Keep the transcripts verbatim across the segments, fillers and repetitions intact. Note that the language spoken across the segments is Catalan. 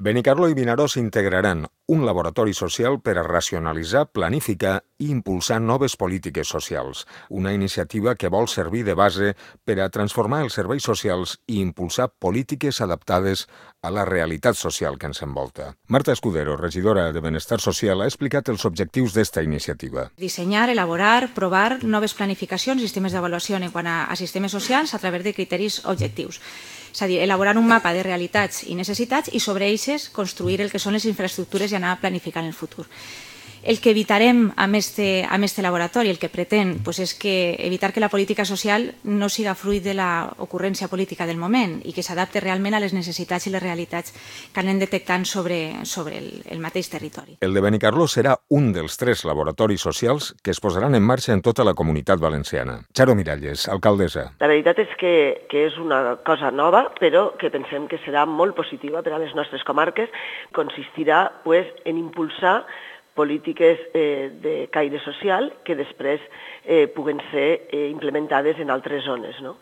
Benicarló i Vinaròs integraran un laboratori social per a racionalitzar, planificar i impulsar noves polítiques socials, una iniciativa que vol servir de base per a transformar els serveis socials i impulsar polítiques adaptades a la realitat social que ens envolta. Marta Escudero, regidora de Benestar Social, ha explicat els objectius d'esta iniciativa. Dissenyar, elaborar, provar noves planificacions i sistemes d'avaluació en quant a, a sistemes socials a través de criteris objectius. És a dir, elaborar un mapa de realitats i necessitats i sobre eixes construir el que són les infraestructures i anar planificant el futur. El que evitarem amb este, amb este laboratori, el que pretén, pues és que evitar que la política social no siga fruit de l'ocurrència política del moment i que s'adapte realment a les necessitats i les realitats que anem detectant sobre, sobre el, el mateix territori. El de Benicarló serà un dels tres laboratoris socials que es posaran en marxa en tota la comunitat valenciana. Charo Miralles, alcaldessa. La veritat és que, que és una cosa nova, però que pensem que serà molt positiva per a les nostres comarques. Consistirà pues, en impulsar polítiques eh, de caire social que després eh, puguen ser eh, implementades en altres zones, no?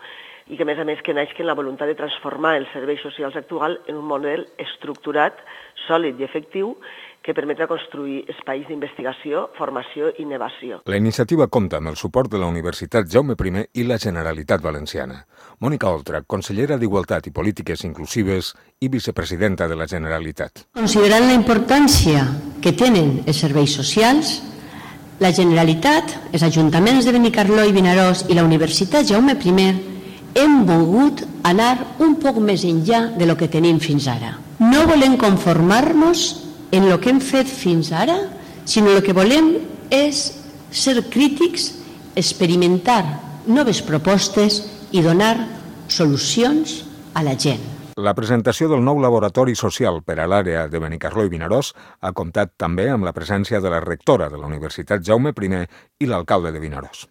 I que, a més a més, que naixen la voluntat de transformar els serveis socials actuals en un model estructurat, sòlid i efectiu que permetrà construir espais d'investigació, formació i innovació. La iniciativa compta amb el suport de la Universitat Jaume I i la Generalitat Valenciana. Mònica Oltra, consellera d'Igualtat i Polítiques Inclusives i vicepresidenta de la Generalitat. Considerant la importància que tenen els serveis socials, la Generalitat, els ajuntaments de Benicarló i Vinaròs i la Universitat Jaume I hem volgut anar un poc més enllà de lo que tenim fins ara. No volem conformar-nos en el que hem fet fins ara, sinó el que volem és ser crítics, experimentar noves propostes i donar solucions a la gent. La presentació del nou laboratori social per a l'àrea de Benicarló i Vinaròs ha comptat també amb la presència de la rectora de la Universitat Jaume I i l'alcalde de Vinaròs.